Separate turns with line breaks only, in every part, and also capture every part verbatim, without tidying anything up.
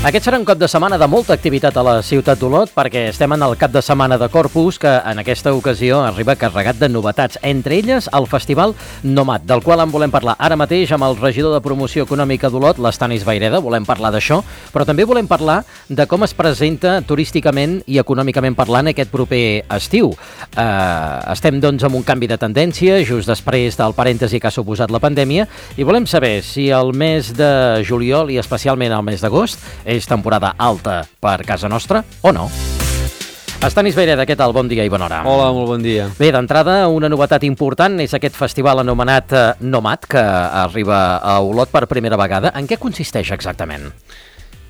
Aquest serà un cap de setmana de molta activitat a la ciutat d'Olot perquè estem en el cap de setmana de Corpus, que en aquesta ocasió arriba carregat de novetats, entre elles el Festival Nomad, del qual en volem parlar ara mateix amb el regidor de Promoció Econòmica d'Olot, l'Estanis Vayreda. Volem parlar d'això, però també volem parlar de com es presenta turísticament i econòmicament parlant aquest proper estiu. Uh, estem, doncs, amb un canvi de tendència just després del parèntesi que ha suposat la pandèmia i volem saber si el mes de juliol i especialment el mes d'agost és temporada alta per casa nostra o no. Estanis Vayreda, què tal? Bon dia i bona hora.
Hola, molt bon dia.
Bé, d'entrada, una novetat important és aquest festival anomenat eh, Nomad, que arriba a Olot per primera vegada. En què consisteix exactament?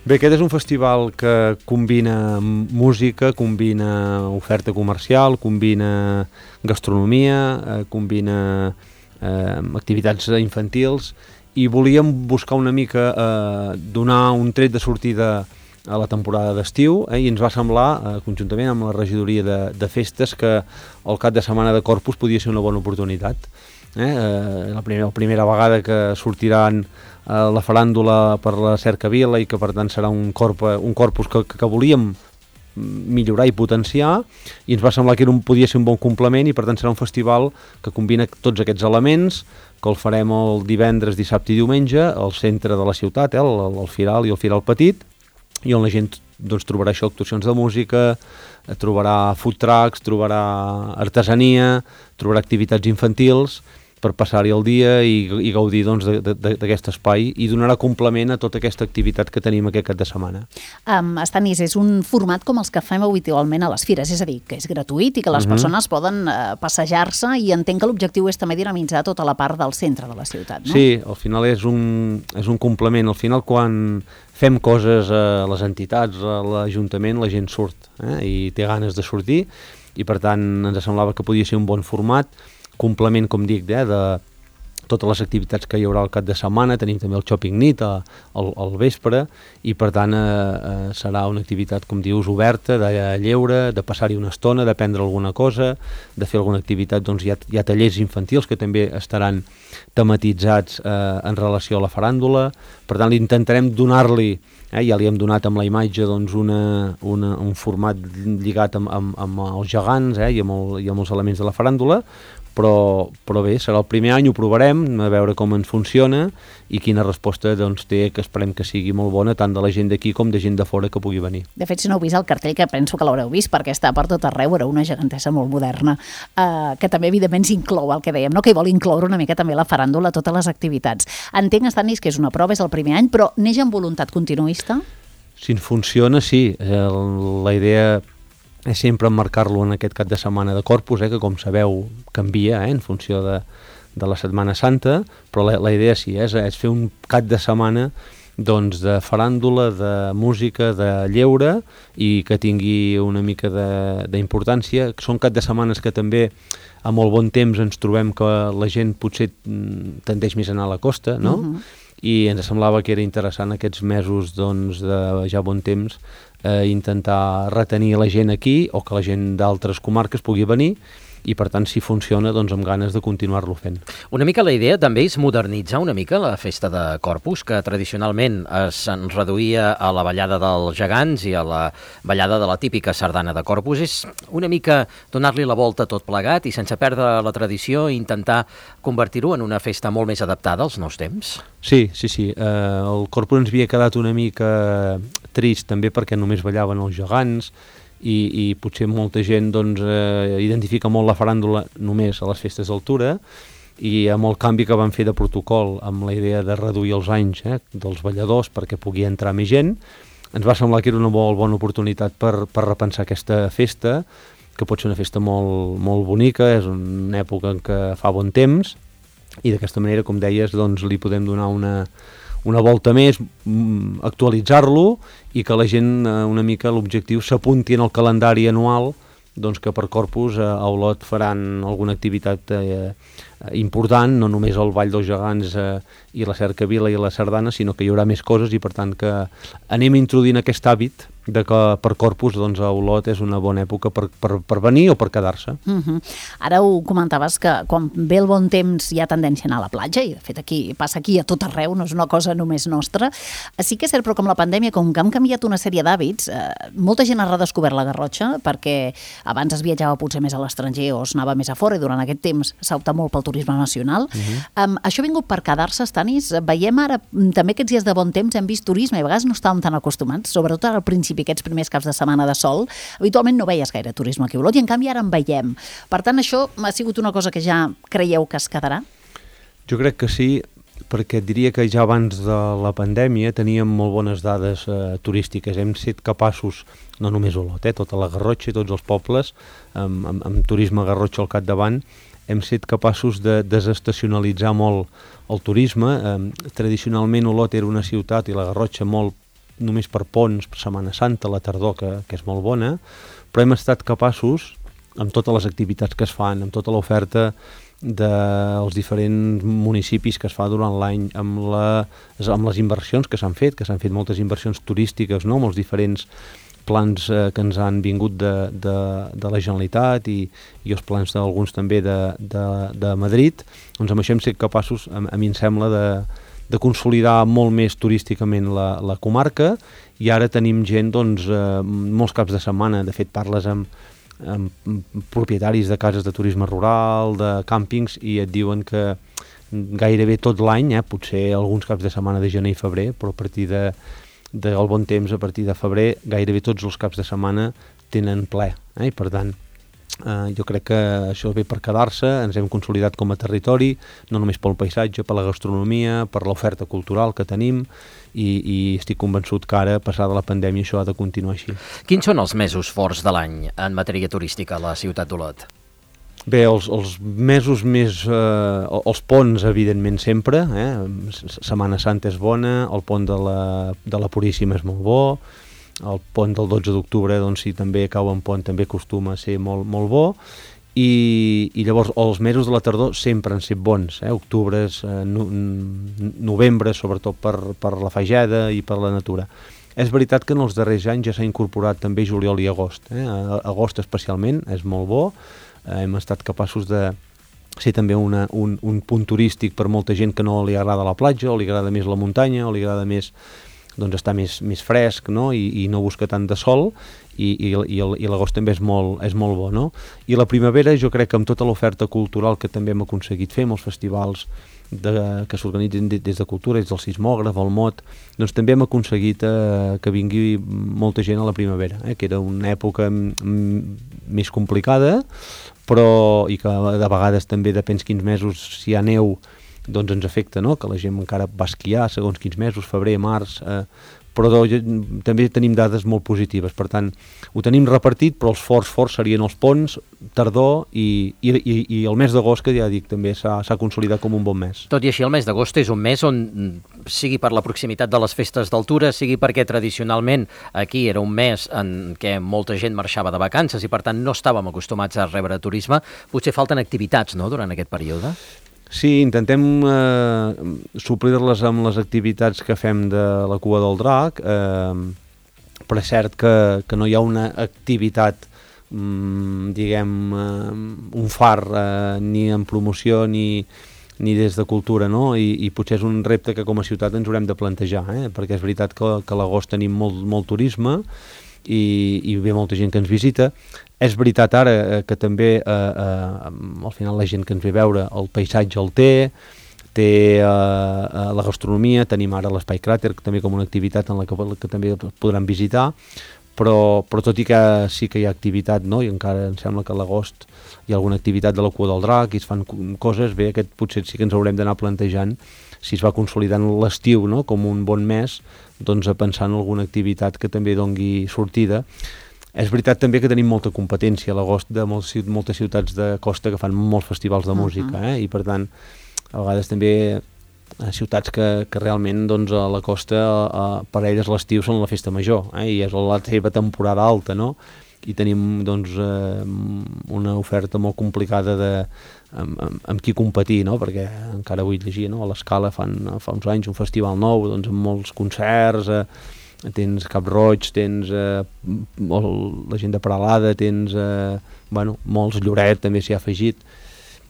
Bé, aquest és un festival que combina música, combina oferta comercial, combina gastronomia, eh, combina eh, activitats infantils, i volíem buscar una mica eh, donar un tret de sortida a la temporada d'estiu, eh, i ens va semblar, eh, conjuntament amb la regidoria de, de festes, que el cap de setmana de Corpus podia ser una bona oportunitat. Eh, eh, la, primera, la primera vegada que sortiran eh, la faràndula per la cercavila i que per tant serà un, corp, un corpus que, que volíem millorar i potenciar, i ens va semblar que era un, podia ser un bon complement, i per tant serà un festival que combina tots aquests elements, que el farem el divendres, dissabte i diumenge al centre de la ciutat, eh, el, el Firal i el Firal Petit, i on la gent, doncs, trobarà això, actuacions de música, trobarà food trucks, trobarà artesania, trobarà activitats infantils per passar-hi el dia i, i gaudir, doncs, d'aquest espai, i donarà complement a tota aquesta activitat que tenim aquest cap de setmana.
Um, Estanis, és un format com els que fem habitualment a les fires, és a dir, que és gratuït i que les uh-huh. persones poden uh, passejar-se, i entenc que l'objectiu és també dinamitzar tota la part del centre de la ciutat, no?
Sí, al final és un, és un complement. Al final, quan fem coses a les entitats, a l'Ajuntament, la gent surt, eh, i té ganes de sortir, i per tant ens semblava que podia ser un bon format, complement, com dic, eh, de totes les activitats que hi haurà al cap de setmana. Tenim també el shopping nit al, al vespre, i per tant eh, eh, serà una activitat, com dius, oberta, de lleure, de passar-hi una estona, de prendre alguna cosa, de fer alguna activitat. Doncs hi ha, hi ha tallers infantils que també estaran tematitzats eh, en relació a la faràndula. Per tant, intentarem donar-li, eh, ja li hem donat amb la imatge, doncs, una, una, un format lligat amb, amb, amb els gegants, eh, i, amb el, i amb els elements de la faràndula. Però, però bé, serà el primer any, ho provarem, a veure com ens funciona i quina resposta, doncs, té, que esperem que sigui molt bona, tant de la gent d'aquí com de gent de fora que pugui venir.
De fet, si no heu vist el cartell, que penso que l'haureu vist perquè està per tot arreu, era una gegantessa molt moderna, eh, que també evidentment s'inclou el que dèiem, no? Que hi vol incloure una mica també la faràndula, totes les activitats. Entenc, Estanis, que és una prova, és el primer any, però neix amb voluntat continuista?
Si ens funciona, sí. La idea és sempre emmarcar-lo en aquest cap de setmana de Corpus, eh, que, com sabeu, canvia eh, en funció de, de la Setmana Santa, però la, la idea sí, és, és fer un cap de setmana, doncs, de faràndula, de música, de lleure, i que tingui una mica d'importància. Són cap de setmanes que també, a molt bon temps, ens trobem que la gent potser tendeix més a anar a la costa, no? Uh-huh. I ens semblava que era interessant aquests mesos, doncs, de ja bon temps, eh, intentar retenir la gent aquí, o que la gent d'altres comarques pugui venir, i per tant, si funciona, doncs amb ganes de continuar-lo fent.
Una mica la idea també és modernitzar una mica la festa de Corpus, que tradicionalment es reduïa a la ballada dels gegants i a la ballada de la típica sardana de Corpus. És una mica donar-li la volta tot plegat i, sense perdre la tradició, intentar convertir-ho en una festa molt més adaptada als nous temps?
Sí, sí, sí. Eh, el Corpus ens havia quedat una mica trist també perquè només ballaven els gegants, I, i potser molta gent, doncs, eh, identifica molt la faràndula només a les festes d'altura, i amb el canvi que van fer de protocol, amb la idea de reduir els anys eh, dels balladors perquè pugui entrar més gent, ens va semblar que era una molt bona oportunitat per, per repensar aquesta festa, que pot ser una festa molt, molt bonica, és una època en què fa bon temps, i d'aquesta manera, com deies, doncs, li podem donar una... una volta més, actualitzar-lo, i que la gent, una mica, l'objectiu s'apunti en el calendari anual, doncs, que per Corpus a Olot faran alguna activitat eh, important, no només el Ball dels Gegants eh, i la cercavila i la sardana, sinó que hi haurà més coses, i per tant que anem introduint aquest hàbit de que per Corpus doncs, a Olot és una bona època per, per, per venir o per quedar-se.
Uh-huh. Ara ho comentaves que quan ve el bon temps hi ha tendència a anar a la platja, i de fet aquí passa aquí a tot arreu, no és una cosa només nostra. Sí que és cert, però com la pandèmia, com que han canviat una sèrie d'hàbits, eh, molta gent ha redescobert la Garrotxa, perquè abans es viatjava potser més a l'estranger o es anava més a fora, i durant aquest temps s'ha optat molt pel turisme nacional. Uh-huh. Um, això ha vingut per quedar-se, Stanis? Veiem ara, també aquests dies de bon temps hem vist turisme, i a vegades no estàvem tan acostumats, sobretot al principi, aquests primers caps de setmana de sol, habitualment no veies gaire turisme aquí a Olot, i en canvi ara en veiem. Per tant, això ha sigut una cosa que ja creieu que es quedarà?
Jo crec que sí, perquè diria que ja abans de la pandèmia teníem molt bones dades eh, turístiques. Hem estat capaços, no només Olot, eh, tota la Garrotxa i tots els pobles, amb, amb, amb turisme Garrotxa al capdavant, hem estat capaços de desestacionalitzar molt el turisme. Eh, tradicionalment Olot era una ciutat i la Garrotxa molt només per ponts, per Setmana Santa, la tardor, que, que és molt bona, però hem estat capaços, amb totes les activitats que es fan, amb tota l'oferta dels diferents municipis que es fa durant l'any, amb, la, amb les inversions que s'han fet, que s'han fet moltes inversions turístiques, no?, amb els diferents plans eh, que ens han vingut de, de, de la Generalitat i, i els plans d'alguns també de, de, de Madrid, doncs amb això hem estat capaços, a, a mi em sembla, de de consolidar molt més turísticament la, la comarca, i ara tenim gent, doncs, eh, molts caps de setmana, de fet parles amb, amb propietaris de cases de turisme rural, de càmpings, i et diuen que gairebé tot l'any, eh, potser alguns caps de setmana de gener i febrer, però a partir de, del bon temps, a partir de febrer, gairebé tots els caps de setmana tenen ple, eh, i per tant, Uh, jo crec que això ve per quedar-se. Ens hem consolidat com a territori, no només pel paisatge, per la gastronomia, per l'oferta cultural que tenim, i, i estic convençut que ara, passada la pandèmia, això ha de continuar així.
Quins són els mesos forts de l'any en matèria turística a la ciutat d'Olot?
Bé, els, els mesos més... Eh, els ponts, evidentment, sempre. Eh? Setmana Santa és bona, el pont de la, de la Puríssima és molt bo, el pont del dotze d'octubre, doncs, si també cau en pont, també acostuma a ser molt, molt bo, i, i llavors els mesos de la tardor sempre han set bons, eh? Octubres, eh, no, novembre, sobretot per, per la fageda i per la natura. És veritat que en els darrers anys ja s'ha incorporat també juliol i agost, eh? Agost especialment és molt bo, eh, hem estat capaços de ser també una, un, un punt turístic per molta gent que no li agrada la platja, o li agrada més la muntanya, o li agrada més, doncs, estar més, més fresc, no?, I, i no busca tant de sol, i, i, i, i l'agost també és molt, és molt bo, no? I la primavera, jo crec que amb tota l'oferta cultural que també hem aconseguit fer, amb els festivals de, que s'organitzen des de Cultura, des del Sismògraf, el Mot, doncs també hem aconseguit eh, que vingui molta gent a la primavera, eh, que era una època més complicada, però, i que de vegades també depèn quins mesos, si hi ha neu, doncs ens afecta, no?, que la gent encara va esquiar segons quins mesos, febrer, març, eh, però do, també tenim dades molt positives, per tant, ho tenim repartit, però els forts forts serien els ponts, tardor, i, i, i, i el mes d'agost, que ja dic, també s'ha consolidat com un bon mes.
Tot i així, el mes d'agost és un mes on, sigui per la proximitat de les festes d'altura, sigui perquè tradicionalment aquí era un mes en què molta gent marxava de vacances i per tant no estàvem acostumats a rebre turisme, potser falten activitats, no?, durant aquest període?
Sí, intentem eh, suplir-les amb les activitats que fem de la Cua del Drac, eh, però és cert que, que no hi ha una activitat, mm, diguem, eh, un far, eh, ni en promoció ni, ni des de cultura, no? I, i potser és un repte que com a ciutat ens haurem de plantejar, eh? Perquè és veritat que, que a l'agost tenim molt, molt turisme, i, i ve molta gent que ens visita. És veritat ara eh, que també eh, eh, al final la gent que ens ve a veure el paisatge el té, té eh, la gastronomia, tenim ara l'Espai Cràter també com una activitat en la que, que també podran visitar, però, però tot i que sí que hi ha activitat, no?, i encara em sembla que a l'agost hi ha alguna activitat de la Cua del Drac i es fan coses, bé, aquest potser sí que ens haurem d'anar plantejant si es va consolidant l'estiu, no?, com un bon mes, doncs a pensar en alguna activitat que també dongui sortida. És veritat també que tenim molta competència a l'agost de moltes ciutats de costa que fan molts festivals de música, eh? I per tant, a vegades també ciutats que, que realment doncs, a la costa a, per a elles l'estiu són la festa major, eh? I és la seva temporada alta, no? I tenim doncs, eh, una oferta molt complicada de, amb, amb, amb qui competir, no? Perquè encara vull llegir, no? A l'Escala fan fa uns anys un festival nou, doncs, amb molts concerts, eh, tens Cap Roig, tens eh, la gent de Peralada, tens eh, bueno, molts, Lloret també s'hi ha afegit,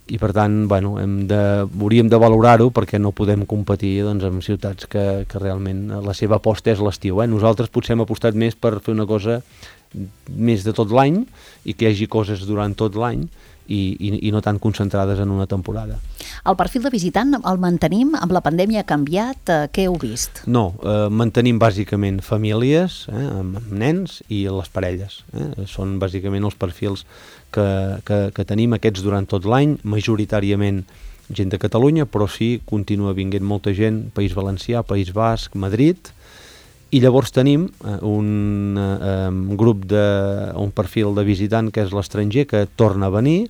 i per tant bueno, hem de, hauríem de valorar-ho perquè no podem competir doncs, amb ciutats que, que realment la seva aposta és l'estiu. Eh? Nosaltres potser hem apostat més per fer una cosa més de tot l'any i que hi hagi coses durant tot l'any i, i, i no tan concentrades en una temporada.
El perfil de visitant el mantenim? Amb la pandèmia ha canviat? Eh, què heu vist?
No, eh, mantenim bàsicament famílies, eh, amb, amb nens i les parelles. Eh? Són bàsicament els perfils que, que, que tenim aquests durant tot l'any, majoritàriament gent de Catalunya, però sí, continua vinguent molta gent, País Valencià, País Basc, Madrid, i llavors tenim un eh, grup de, un perfil de visitant que és l'estranger, que torna a venir,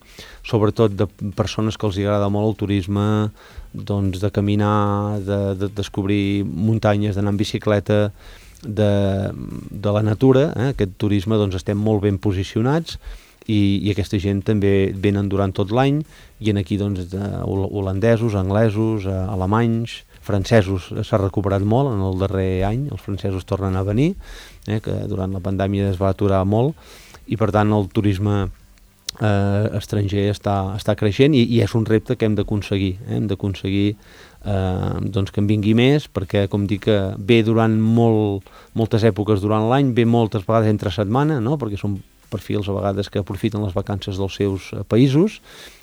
sobretot de persones que els agrada molt el turisme, doncs de caminar, de, de descobrir muntanyes, d'anar en bicicleta, de, de la natura, eh? Aquest turisme doncs estem molt ben posicionats, i, i aquesta gent també venen durant tot l'any, i en aquí doncs de holandesos, anglesos, alemanys, francesos s'ha recuperat molt en el darrer any, els francesos tornen a venir, eh, que durant la pandèmia es va aturar molt, i per tant el turisme eh, estranger està, està creixent i, i és un repte que hem d'aconseguir, eh, hem d'aconseguir eh, doncs que en vingui més, perquè com dic que ve durant molt, moltes èpoques durant l'any, ve moltes vegades entre setmana, no? Perquè són perfils a vegades que aprofiten les vacances dels seus països,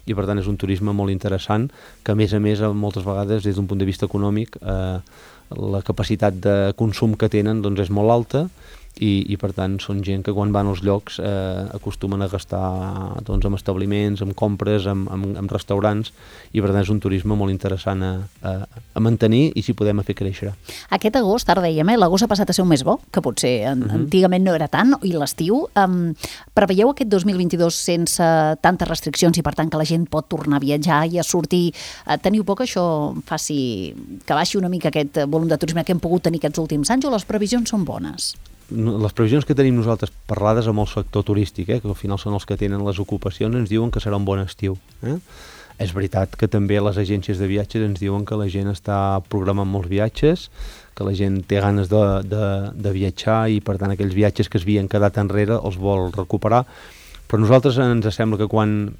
i per tant és un turisme molt interessant que a més a més moltes vegades des d'un punt de vista econòmic eh, la capacitat de consum que tenen doncs és molt alta, i, i per tant són gent que quan van als llocs eh, acostumen a gastar doncs, en establiments, en compres, en, en, en restaurants, i per tant és un turisme molt interessant a, a, a mantenir i si podem a fer créixer.
Aquest agost, ara dèiem, eh, l'agost ha passat a ser un mes bo, que potser en, uh-huh. antigament no era tant, i l'estiu. Um, preveieu aquest dos mil vint-i-dos sense tantes restriccions i per tant que la gent pot tornar a viatjar i a sortir? Uh, teniu por que això faci que baixi una mica aquest volum de turisme que hem pogut tenir aquests últims anys, o les previsions són bones?
Les previsions que tenim nosaltres parlades amb el sector turístic, eh, que al final són els que tenen les ocupacions, ens diuen que serà un bon estiu. Eh? És veritat que també les agències de viatges ens diuen que la gent està programant molts viatges, que la gent té ganes de, de, de viatjar i per tant aquells viatges que es havien quedat enrere els vol recuperar, però a nosaltres ens sembla que quan,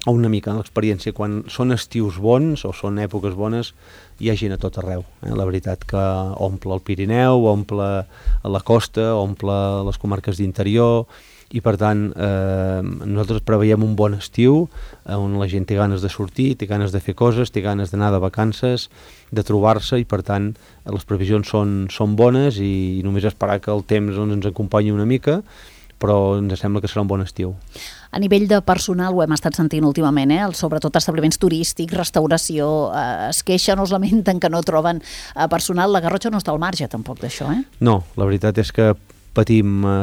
o una mica en l'experiència, quan són estius bons o són èpoques bones, hi ha gent a tot arreu. Eh? La veritat que omple el Pirineu, omple la costa, omple les comarques d'interior, i per tant eh, nosaltres preveiem un bon estiu on la gent té ganes de sortir, té ganes de fer coses, té ganes d'anar de vacances, de trobar-se, i per tant les previsions són, són bones, i, i només esperar que el temps doncs, ens acompanyi una mica, però ens sembla que serà un bon estiu.
A nivell de personal, ho hem estat sentint últimament, eh? Sobretot establiments turístics, restauració, eh, es queixen o es lamenten que no troben eh, personal. La Garrotxa no està al marge tampoc d'això, eh?
No, la veritat és que patim eh,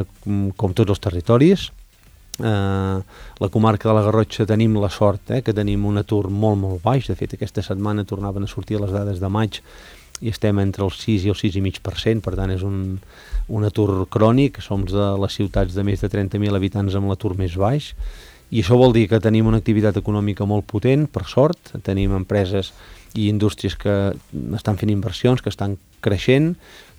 com tots els territoris. Eh, la comarca de la Garrotxa tenim la sort eh, que tenim un atur molt, molt baix. De fet, aquesta setmana tornaven a sortir les dades de maig i estem entre el sis i el sis coma cinc per cent, per tant és un, un atur crònic. Som de les ciutats de més de trenta mil habitants amb l'atur més baix, i això vol dir que tenim una activitat econòmica molt potent, per sort. Tenim empreses i indústries que estan fent inversions, que estan creixent,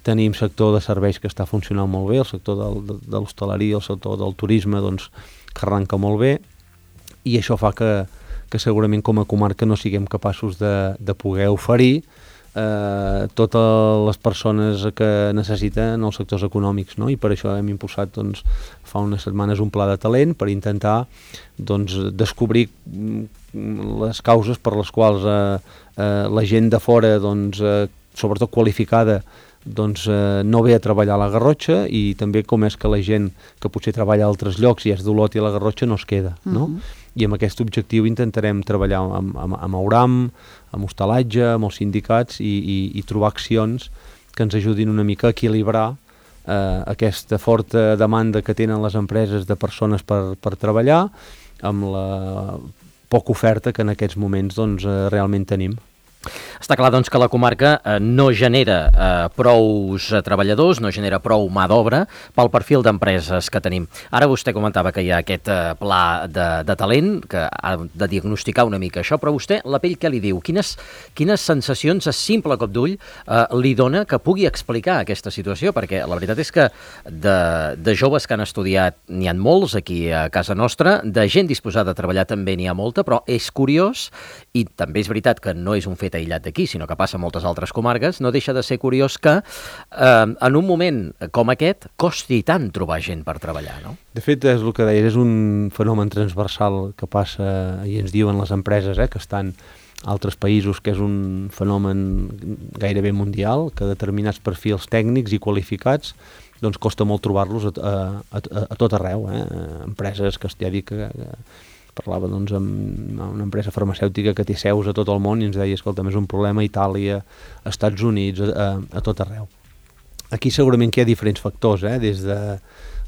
tenim sector de serveis que està funcionant molt bé, el sector del, de, de l'hostaleria, el sector del turisme, doncs, que arranca molt bé, i això fa que, que segurament com a comarca no siguem capaços de, de poder oferir Eh, totes les persones que necessiten els sectors econòmics, no? I per això hem impulsat doncs, fa unes setmanes un pla de talent per intentar doncs, descobrir les causes per les quals eh, eh, la gent de fora, doncs, eh, sobretot qualificada, doncs, eh, no ve a treballar a la Garrotxa, i també com és que la gent que potser treballa a altres llocs i és d'Olot i a la Garrotxa no es queda, no? Uh-huh. I amb aquest objectiu intentarem treballar amb, amb, amb Auram, amb hostalatge, amb els sindicats, i, i, i trobar accions que ens ajudin una mica a equilibrar eh, aquesta forta demanda que tenen les empreses de persones per, per treballar amb la poca oferta que en aquests moments doncs, eh, realment tenim.
Està clar, doncs, que la comarca eh, no genera eh, prous eh, treballadors, no genera prou mà d'obra pel perfil d'empreses que tenim. Ara vostè comentava que hi ha aquest eh, pla de, de talent, que ha de diagnosticar una mica això, però vostè, la pell, què li diu? Quines, quines sensacions a simple cop d'ull eh, li dona que pugui explicar aquesta situació? Perquè la veritat és que de, de joves que han estudiat n'hi ha molts aquí a casa nostra, de gent disposada a treballar també n'hi ha molta, però és curiós, i també és veritat que no és un fet aïllat d'aquí, sinó que passa a moltes altres comarques, no deixa de ser curiós que eh, en un moment com aquest costi tant trobar gent per treballar, no?
De fet, és el que deies, és un fenomen transversal que passa, i ens diuen les empreses, eh, que estan a altres països, que és un fenomen gairebé mundial, que determinats perfils tècnics i qualificats doncs costa molt trobar-los a, a, a, a tot arreu, eh? Empreses que ja dic que, que parlava doncs, amb una empresa farmacèutica que té seus a tot el món i ens deia, escolta, és un problema a Itàlia, a Estats Units, a, a tot arreu. Aquí segurament que hi ha diferents factors, eh? Des de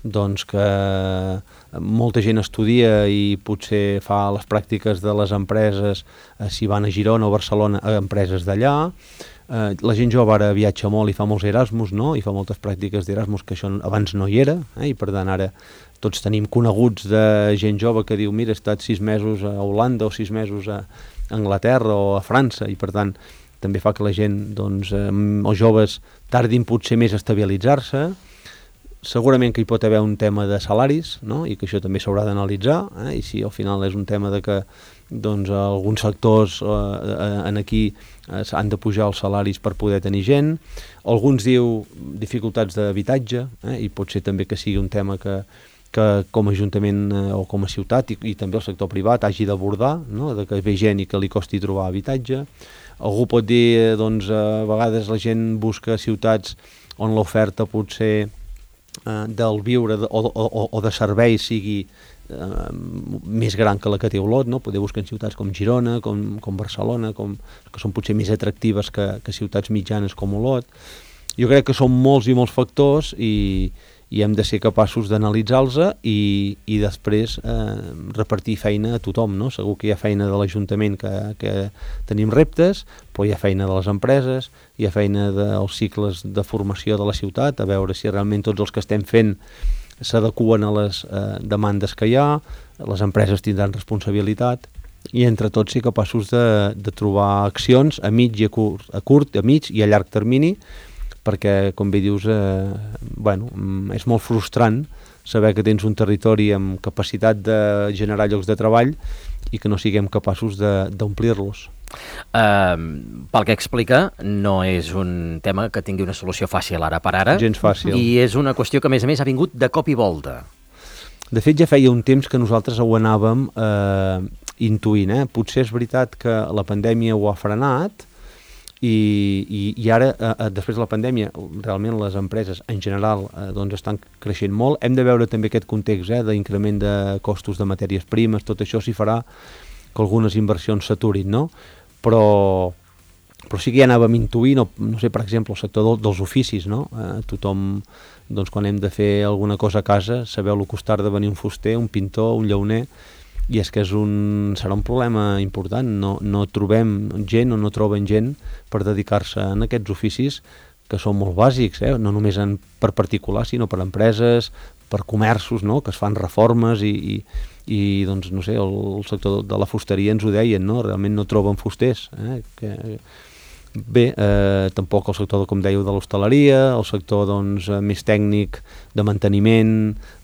doncs, que molta gent estudia i potser fa les pràctiques de les empreses, eh, si van a Girona o Barcelona, a empreses d'allà. Eh, la gent jove ara viatja molt i fa molts Erasmus, no? I fa moltes pràctiques d'Erasmus, que això abans no hi era, eh? I per tant ara tots tenim coneguts de gent jove que diu, mira, he estat sis mesos a Holanda o sis mesos a Anglaterra o a França, i per tant també fa que la gent, doncs, eh, els joves tardin potser més a estabilitzar-se. Segurament que hi pot haver un tema de salaris, no? I que això també s'haurà d'analitzar, eh? I si al final és un tema de que doncs, alguns sectors eh, en aquí eh, han de pujar els salaris per poder tenir gent. Alguns diu dificultats d'habitatge, eh? I pot ser també que sigui un tema que que com a Ajuntament eh, o com a ciutat i, i també el sector privat hagi d'abordar, no? De que ve gent i que li costi trobar habitatge. Algú pot dir, eh, doncs, a vegades la gent busca ciutats on l'oferta potser eh, del viure de, o, o, o de serveis sigui eh, més gran que la que té Olot, no? Poder buscar en ciutats com Girona, com, com Barcelona, com, que són potser més atractives que, que ciutats mitjanes com Olot. Jo crec que són molts i molts factors i i hem de ser capaços d'analitzar-los i, i després eh, repartir feina a tothom, no? Segur que hi ha feina de l'Ajuntament que, que tenim reptes, però hi ha feina de les empreses, hi ha feina dels cicles de formació de la ciutat, a veure si realment tots els que estem fent s'adeqüen a les eh, demandes que hi ha, les empreses tindran responsabilitat, i entre tots ser capaços de, de trobar accions a mig i a curt, a curt, a mig i a llarg termini, perquè, com bé dius, eh, bueno, és molt frustrant saber que tens un territori amb capacitat de generar llocs de treball i que no siguem capaços d'omplir-los.
Uh, pel que explica, no és un tema que tingui una solució fàcil ara per ara.
Gens fàcil.
I és una qüestió que, a més a més, ha vingut de cop i volta.
De fet, ja feia un temps que nosaltres ho anàvem eh, intuint. Eh? Potser és veritat que la pandèmia ho ha frenat, I, i, i ara, eh, després de la pandèmia, realment les empreses en general eh, doncs estan creixent molt. Hem de veure també aquest context eh, d'increment de costos de matèries primes, tot això s'hi farà que algunes inversions s'aturin, no? Però, però sí que ja anàvem intuint, no, no sé, per exemple, el sector del, dels oficis, no? Eh, tothom, doncs, quan hem de fer alguna cosa a casa, sabeu el que costa de venir un fuster, un pintor, un llauner, i és que és un, serà un problema important. No, no trobem gent o no troben gent per dedicar-se en aquests oficis que són molt bàsics, eh? No només en, per particulars, sinó per empreses, per comerços, no? Que es fan reformes i, i, i doncs, no sé, el, el sector de la fusteria ens ho deien, no? Realment no troben fusters. Eh? Que, bé, eh, tampoc el sector, com dèieu, de l'hostaleria, el sector doncs, més tècnic de manteniment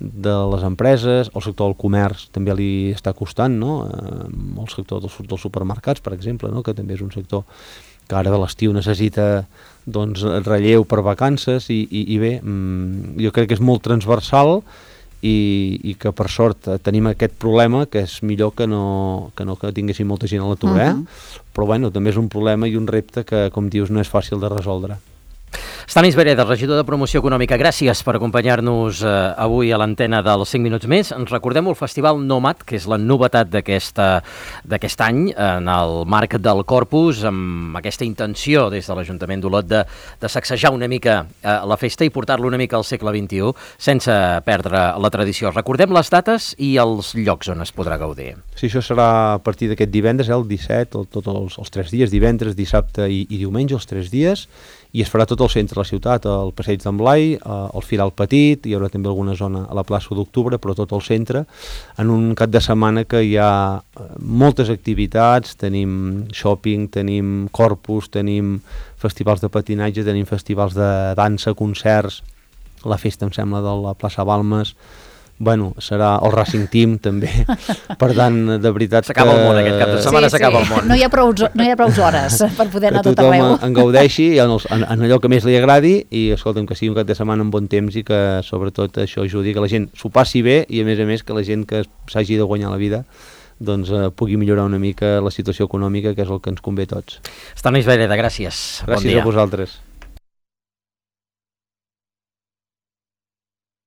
de les empreses, el sector del comerç també li està costant, no? Eh, el sector dels, dels supermercats, per exemple, no? Que també és un sector que ara de l'estiu necessita doncs, relleu per vacances i, i, i bé, jo crec que és molt transversal i, i que per sort tenim aquest problema, que és millor que no que, no que tinguéssim molta gent a l'atur, eh? Uh-huh. Però bueno, també és un problema i un repte que, com dius, no és fàcil de resoldre.
Stanis Bereda, regidor de Promoció Econòmica, gràcies per acompanyar-nos eh, avui a l'antena dels cinc minuts més. Ens recordem el Festival Nomad, que és la novetat d'aquest any en el marc del Corpus, amb aquesta intenció des de l'Ajuntament d'Olot de, de sacsejar una mica eh, la festa i portar-la una mica al segle vint-i-u sense perdre la tradició. Recordem les dates i els llocs on es podrà gaudir.
Sí, això serà a partir d'aquest divendres, eh, el disset, el, tots els, els tres dies, divendres, dissabte i, i diumenge, els tres dies, i es farà tot el centre de la ciutat, el passeig d'en Blai, el Firal Petit, hi haurà també alguna zona a la plaça d'Octubre, però tot el centre, en un cap de setmana que hi ha moltes activitats, tenim shopping, tenim Corpus, tenim festivals de patinatge, tenim festivals de dansa, concerts, la festa, em sembla, de la plaça Balmes, bueno, serà el Racing Team també, per tant, de veritat que...
S'acaba el món aquest cap de setmana,
sí,
s'acaba
sí.
el món.
No hi ha prou, no hi ha prou hores per poder anar tot arreu.
Que tothom en gaudeixi en, els, en, en allò que més li agradi i, escolta'm, que sigui un cap de setmana amb bon temps i que, sobretot, això ajudi que la gent s'ho passi bé i, a més a més, que la gent que s'hagi de guanyar la vida doncs eh, pugui millorar una mica la situació econòmica, que és el que ens convé a tots.
Stanis Bereda, gràcies.
Gràcies
Bon dia.
a vosaltres.